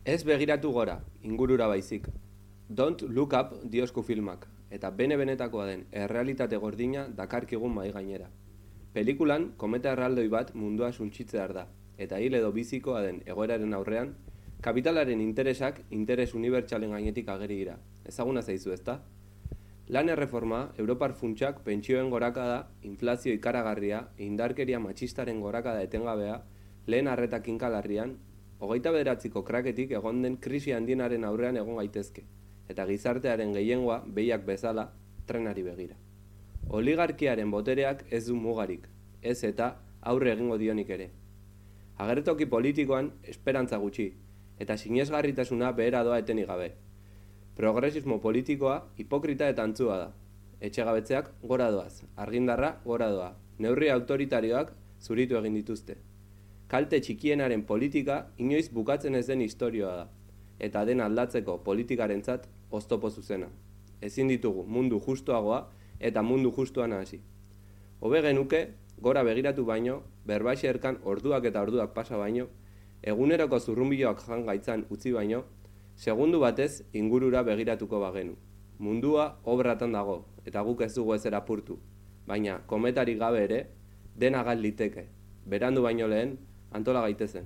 Ez begiratu gora, ingurura baizik. Don't Look Up diosku filmak, eta bene-benetakoa den errealitate gordina dakarkigun mai gainera. Pelikulan, kometa erraldoi bat mundua suntsitzear da, eta hil edo bizikoa den egoeraren aurrean, kapitalaren interesak interes unibertsalen gainetik ageri dira. Ezaguna zaizu ezta? Lan erreforma, Europar funtsak pentsioen gorakada, inflazio ikaragarria, indarkeria matxistaren gorakada etengabea, lehen arreta kinkalarrian, 29ko kraketik egon den krisi handienaren aurrean egon gaitezke, eta gizartearen gehiengoa behiak bezala trenari begira. Oligarkiaren botereak ez du mugarik, ez eta aurre egingo dionik ere. Agertoki politikoan esperantza gutxi, eta sinesgarritasuna behera doa etenik gabe. Progresismo politikoa hipokrita eta antzua da. Etxegabetzeak gora doaz, argindarra gora doa, neurri autoritarioak zuritu egin dituzte. Kalte txikienaren politika inoiz bukatzen ez den istorioa da, eta den aldatzeko politikarentzat oztopo zuzena. Ezin ditugu mundu justuagoa eta mundu justuan hasi. Hobe genuke, gora begiratu baino, berbaixerkan orduak eta orduak pasa baino, eguneroko zurrunbiloak jan gaitzan utzi baino, segundu batez ingurura begiratuko bagenu. Mundua obratan dago, eta guk ez dugu ezer apurtu, baina kometarik gabe ere, dena gal liteke, berandu baino lehen, antola gaitezen.